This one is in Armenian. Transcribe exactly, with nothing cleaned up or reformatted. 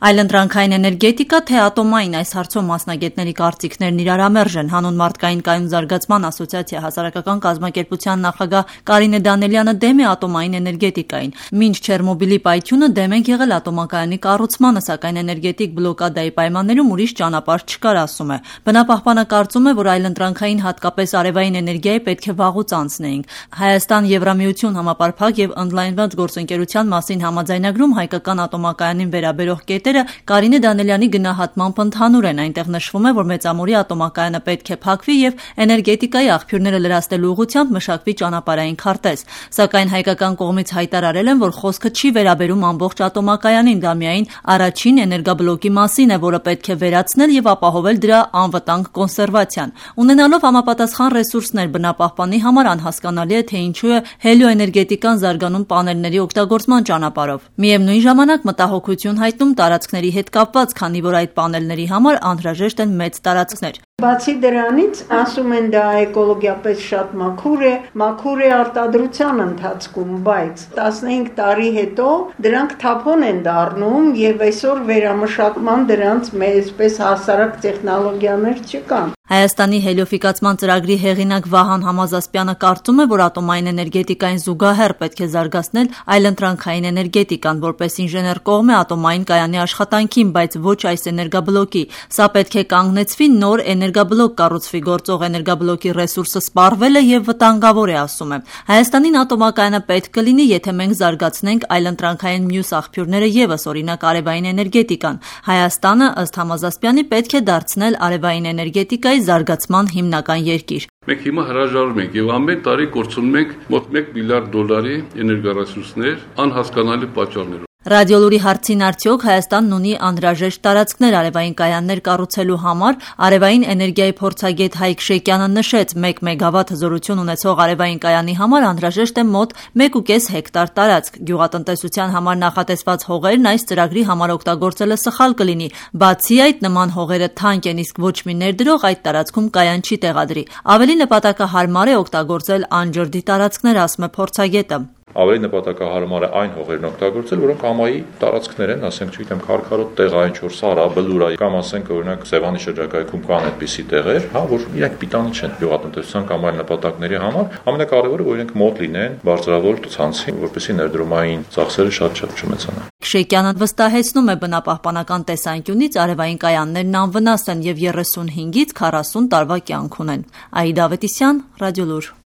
Այլընտրանքային էներգետիկա, թե ատոմային, այս հարցում մասնագետների կարծիքներն իրարամերժ են։ Հանուն մարդկային կայուն զարգացման ասոցիացիա հասարակական կազմակերպության նախագահ Կարինե Դանելյանը դեմ է ատոմային էներգետիկային։ Մինչ Չեռնոբիլի պայթյունը դեմ ենք եղել ատոմակայանի կառուցմանը, սակայն էներգետիկ բլոկադայի պայմաններում ուրիշ ճանապարհ չկար, ասում է։ Բնապահպանը կարծում է, որ այլընտրանքային, հատկապես արևային էներգիայի պետք է վաղուց անցնեինք։ Հայաստան-Եվրամիություն համապարփակ եւ ընդլայնված գործընկերության մասին համաձայնագրում հայկական ատոմակայանին վերաբերող կետեր Կարինե Դանելյանի գնահատմամբ ընդհանուր են։ Այնտեղ նշվում է, որ Մեծամորի ատոմակայանը պետք է փակվի եւ էներգետիկայի աղբյուրները լրացնելու ուղղությամբ մշակվի ճանապարհային քարտեզ։ Սակայն հայկական կողմից հայտարարել են, որ խոսքը չի վերաբերում ամբողջ ատոմակայանին, դա միայն առաջին էներգաբլոկի մասին է, որը պետք է վերացնել եւ ապահովել դրա անվտանգ կոնսերվացիան։ Ունենալով համապատասխան ռեսուրսներ բնապահպանի համար անհասկանալի է, թե ինչու է հելիոէներգետիկան զարգանում պանելների օգտագործման ճանապարհով։ Միևնույն ժամանակ մտահոգություն հայտնում տարածքների հետ կապված, քանի որ այդ պանելների համար անհրաժեշտ են մեծ տարածքներ։ Բացի դրանից, ասում են դա էկոլոգիապես շատ մաքուր է, մաքուր է արտադրության ընթացքում, բայց տասնհինգ տարի հետո դրանք թափոն են դառնում եւ այսօր վերամշակման դրանց այսպես հասարակ տեխնոլոգիաներ չկան։ Հայաստանի հելիոֆիկացման ծրագրի հեղինակ Վահան Համազասպյանը կարծում է, որ ատոմային էներգետիկային զուգահեռ պետք է զարգացնել այլընտրանքային էներգետիկան, որպես ինժեներ կողմ է ատոմային կայանի աշխատանքին, բայց ոչ այս էներգաբլոկի։ Սա պետք է կանգնեցվի, նոր էներգաբլոկ կառուցվի, գործող էներգաբլոկի ռեսուրսը սպառվել է եւ վտանգավոր է, ասում է։ Հայաստանին ատոմակայանը պետք կլինի, եթե մենք զարգացնենք այլընտրանքային մյուս աղբյուրները եւս, օրինակ արևային էներգետիկան։ Հայաստանը, ըստ Համազասպյանի, պետք է դարձնել արևային էներգետիկայի զարգացման հիմնական երկիր։ Մենք հիմա հրաժարվում ենք եւ ամեն տարի կորցնում ենք մոտ մեկ միլիարդ դոլարի էներգառեսուրսներ անհասկանալի պատճառներով։ Ռադիոլուրի հարցին արդյոք Հայաստանն ունի անհրաժեշտ տարածքներ արևային կայաններ կառուցելու համար, արևային էներգիայի փորձագետ Հայկ Շեկյանը նշեց, մեկ մեգավատ հզորություն ունեցող արևային կայանի համար անհրաժեշտ է մոտ մեկ ու կես հեկտար տարածք։ Գյուղատնտեսության համար նախատեսված հողերն այս ծրագրի համար օգտագործելը սխալ կլինի։ Բացի այդ, նման հողերը թանկ են, իսկ ոչ մի ներդրող այդ տարածքում կայան չի տեղադրի։ Ավելի նպատակահարմար է օգտագործել անջրդի տարածքներ, ասում է փորձագետը։ Ավելի նպատակահարմար է այն հողերն օգտագործել, որոնք համայի տարածքներ են, ասենք, չգիտեմ, քարքարոտ տեղ, այն չոր սարա, բլուրա, կամ ասենք, օրինակ, Սևանի շրջակայքում կան այդպիսի տեղեր, հա, որ իրենք պիտանի չեն գյուղատնտեսության կամ այլ նպատակների համար, ամենակարևորը, որ իրենք մոտ լինեն բարձրավոր ցանցին, որպեսզի ներդրումային ծախսերը շատ-շատ չմեծանան։ Շեկյանը վստահեցնում է, բնապահպանական տեսանկյունից արևային կայաններն անվնաս են եւ երեսունհինգից քառասուն տարվա կյանք ունեն։ Աիդա Ավետիսյան, Ռադիոլուր։